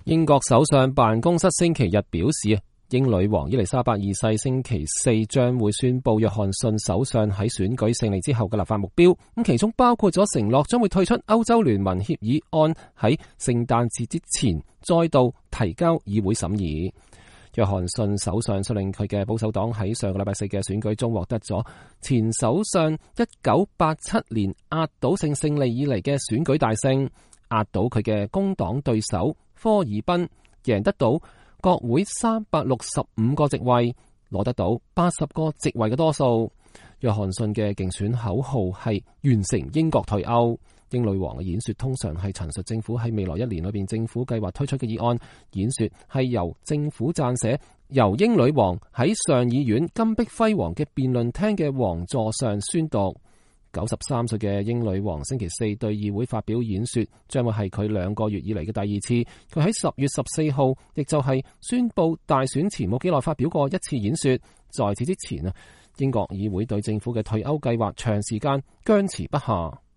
英國首相辦公室星期日表示，英女王伊麗莎白二世星期四將會宣布約翰遜首相喺選舉勝利之後嘅立法目標，咁其中包括咗承諾將會退出歐洲聯盟協議案喺聖誕節之前再度提交議會審議。約翰遜首相率領佢嘅保守黨喺上個禮拜四嘅選舉中獲得咗前首相1987年壓倒性勝利以嚟嘅選舉大勝，壓倒佢嘅工黨對手科爾賓，贏得到國會365個席位，攞得到80個席位嘅多數。約翰遜嘅競選口號係完成英國退歐。英女王嘅演說通常係陳述政府喺未來1年裏邊政府計劃推出嘅議案。演說係由政府撰寫，由英女王喺上議院金碧輝煌嘅辯論廳嘅王座上宣讀。93歲嘅英女王星期四對議會發表演說，將會係佢2個月以嚟嘅第二次。佢喺10月14號，亦就係宣布大選前冇幾耐發表過一次演說。在此之前啊，英國議會對政府嘅退歐計劃長時間僵持不下。